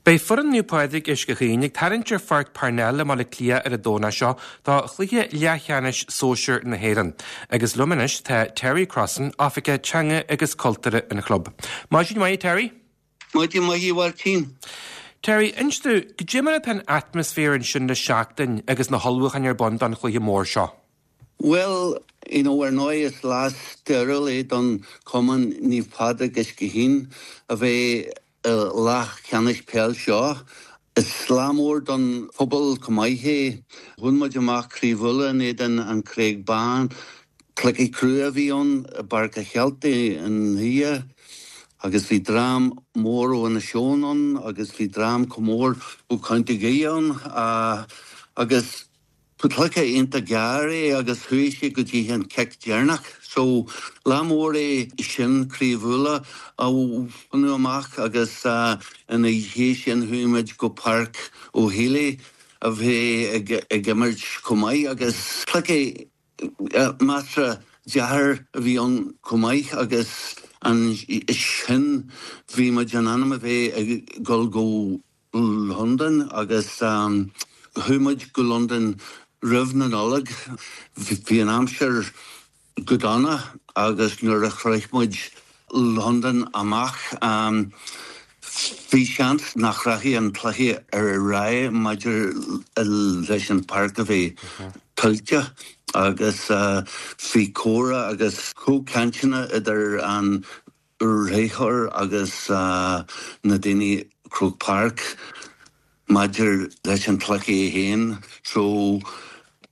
Beidh foireann Naomh Pádraig Uisce Chaoin ag tarraingt ar Pháirc Parnell i mBaile Átha Cliath ar an Domhnach seo do chluiche leathcheannais sóisir na hÉireann. Agus liom anois tá Terry Crossan, Oifigeach Teanga agus Cultúrtha an chlub. Maidin mhaith, Terry. Maidin mhaith, a Mháirtín. Terry, inis domh, goidé mar atá an atmaisféar ansin le seachtain agus na hullmhúcháin ar bun don chluiche mór seo? Bhuel, you know, ar ndóigh is lá stairiúil é don chumann Naomh Pádraig Uisce Chaoin a bheith i leathcheannais peil seo. Is lá mór don phobal chomh maith é. Bhain muid amach Craobh Uladh in éadan An Chreag Bán. Cluiche crua a bhí ann i bPáirc a' Cheiltigh i nDoire agus bhí dream mór ó Inis Eoghain ann agus bhí dream chomh mór ó Chontae Dhoire ann agus Cluiche iontach géar é agus chuaigh sé go dtí an cic deireanach. So, lá mór é sin Craobh Uladh a bhaint amach agus ina dhiaidh sin chuaigh muid go Páirc O'Healy a bheith ag imirt chomh maith agus cluiche measartha deacair a bhí ann chomh maith agus ansin bhí muid in ainm a bheith ag dul go Londain agus chuaigh muid go Londain roimh na Nollag. Bhí an aimsir go dona agus nuair a shroich muid Londain amach bhí seans nach rachaidh an cluiche ar aghaidh maidir leis an páirc a bheith tuilte agus bhí comhrá agus comhchainteanna idir an réiteoir agus na daoine Croke Park maidir leis an chluiche é féin. So,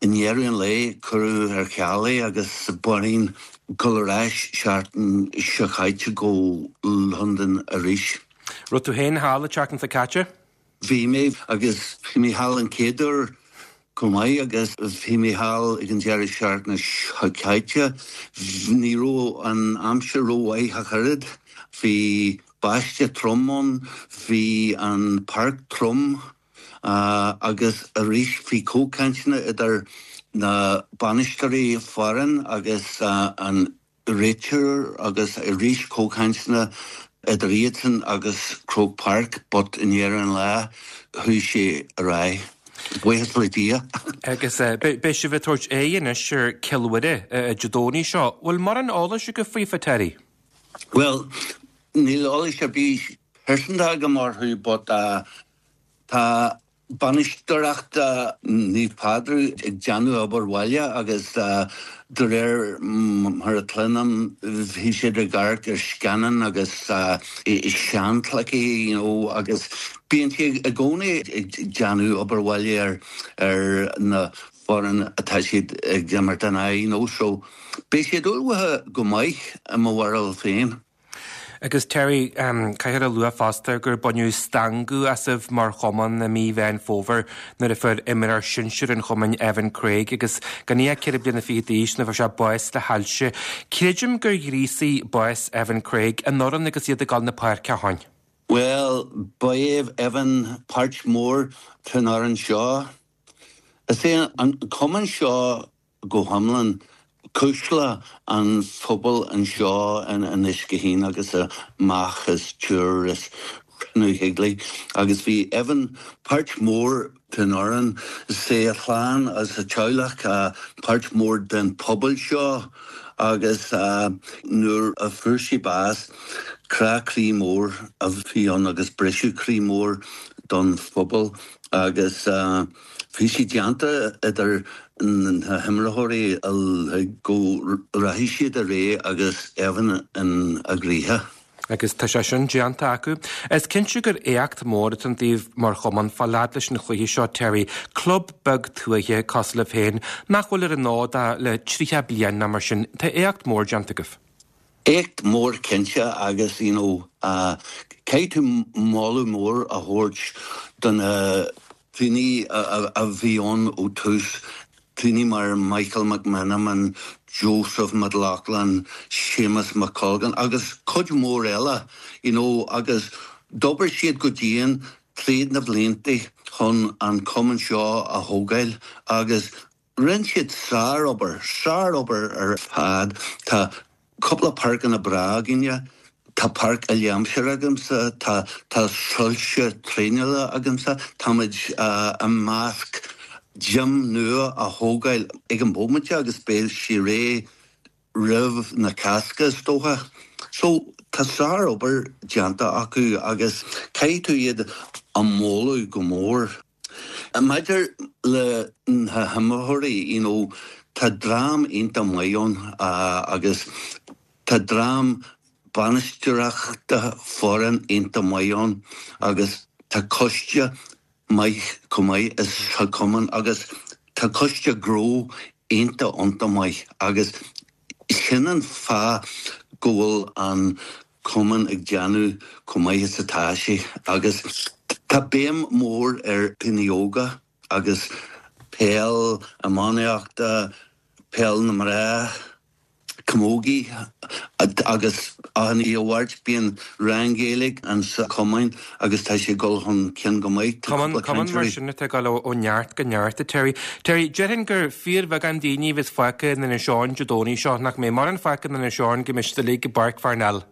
i ndeireadh an lae, cuireadh ar ceal é agus b'orainn dul ar ais seachtain seo chaite go Londain arís. Raibh tú féin thall an tseachtain seo caite? Bhí mé, agus bhí mé thall an chéad uair chomh maith agus bhí mé thall ag an deireadh seachtaine seo caite. Ní raibh an aimsir rómhaith ach oiread. Bhí báisteach trom ann, bhí an páirc trom agus arís bhí comhchainteanna idir na bainisteoirí foireann agus an réiteoir agus arís comhchainteanna idir iadsan agus Croke Park but i ndeireadh an lae chuaigh sé ar aghaidh. Buíochas le Dia. Agus beidh sibh ag tabhairt aghaidh anois ar Cill Mhuire Dé Domhnaigh seo. Bhfuil mórán eolais agaibh faofa, Terry? Bhuel, níl eolais ar bith pearsanta agam orthu but tá Bainisteoireacht Naomh Pádraig ag déanamh obair bhaile agus de réir mar a chluinim bhí siad ag amharc ar scannáin agus seanchluichí you know agus bíonn siad i gcónaí ag déanamh obair bhaile ar ar na foireann atá siad ag imirt in aghaidh you know so beidh siad ullmhaithe go maith i mo bharúil féin. Agus Terry, caithfear a lua fosta gur baineadh stangadh asaibh mar chumann i mí Mheán Fómhair nuair a fuair imreoir sinsir an chumainn Evan Craig agus gan é ach 4 bliana fichead d'aois nuair a fuair sé bás le hailse. Creidim gur ghríosaigh bás Evan Craig an fhoireann agus iad ag dul na páirce ó shin. Bhuel, ba é Evan páirt mhór den fhoireann seo. Is é an cumann seo go hiomlán cuisle an phobail anseo in Uisce Chaoin agus amach as Tuar is Cnoc Shíoglí agus bhí Evan páirt mhór den fhoireann. Is é a chlann agus a teaghlach páirt mhór den phobal seo agus nuair a fuair sé bás crá croí mór a bhí ann agus briseadh croí mór don phobal agus Bhí sé déanta idir na himreoirí uilig go rachaidh siad ar aghaidh agus Evan ina gcroíthe. Agus tá sé sin déanta acu. Is cinnte gur éacht mór atá ann daoibh mar chumann fáil fhad leis an chluiche seo, Terry. Club beag tuaithe cosúil libh féin, nach bhfuil ar an fhód ach le 30 bliain nó mar sin. Tá éacht mór déanta agaibh. Éacht mór cinnte agus you know caithfidh tú moladh mór a thabhairt do na daoine a bhí ann ó tús, daoine mar Michael McMenamin, Joseph McLaughlin, Séamus McColgan agus cuid mhór eile you know agus d'obair siad go dian tríd na blianta chun an cumann seo a thógáil agus Rinne siad sár-obair, sár-obair ar fad. Tá cúpla páirceanna breá againne. Tá páirc uile-aimsire agamsa, tá tá soilse traenála agamsa, táimid i measc gym nua a thógáil ag an bhomaite agus beidh sé réidh roimh na Cásca is dócha. So tá sár-obair déanta acu agus caithfidh tú iad a mholadh go mór. Maidir le na himreoirí, you know, tá dream iontach maith ann agus tá dream bainisteoireachta foireann iontach maith ann agus tá coiste maith chomh maith sa chumann agus tá coiste gnó iontach iontach maith agus sin an fáth go bhfuil an cumann ag déanamh chomh maith is atá sé agus tá béim mhór ar dhaoine óga agus peil iománaíochta, peil na mná. Camogie agus achan oíche Mháirt bíonn rang Gaeilge insa chumann agus tá sé ag dul chun cinn go maith. Tá cúpla Cumann mar sin atá ag dul ó neart go neart, a Terry. Terry, déarfainn gur fíorbheagán daoine a bheas fágtha in Inis Eoghain Dé Domhnaigh seo, nach mbeidh mórán fágtha in Inis Eoghain go mbeidh siad uilig i bPáirc Pharnell?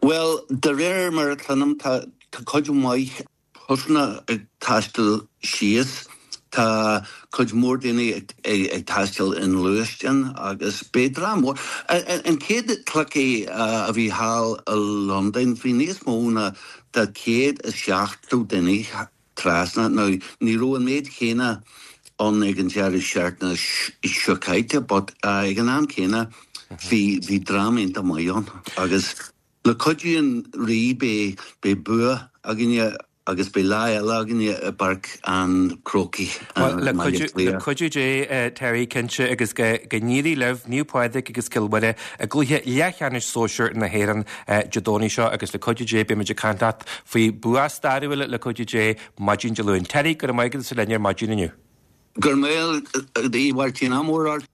Bhuel, de réir mar a chluinim, tá cuid mhaith busanna ag taisteal síos. Tá cuid mhór daoine ag taisteal i ngluaisteáin agus beidh dream mór. An chéad chluiche a bhí thall i Londain bhí níos mó ná 170 duine trasna. Now ní raibh an méid chéanna ann ag an deireadh seachtaine seo caite but ag an am céanna bhí bhí dream iontach maith ann agus Le cuidiú an Rí beidh bua againne agus beidh lá eile againne i bPáirc an Chrócaigh i mBaile Átha Cliath. Le cuidiú Dé, Terry, cinnte, agus go n-éirí libh, Naomh Pádraig agus Cill Mhuire i gcluiche leathcheannais sóisir na hÉireann Dé Domhnaigh seo agus le cuidiú Dé beidh muid ag caint leat faoi bua stairiúil le cuidiú Dé maidin Dé Luain. Terry, go raibh maith agat as a bheith linn ar maidin inniu. Go raibh maith agat, a Mháirtín, ádh mór ort.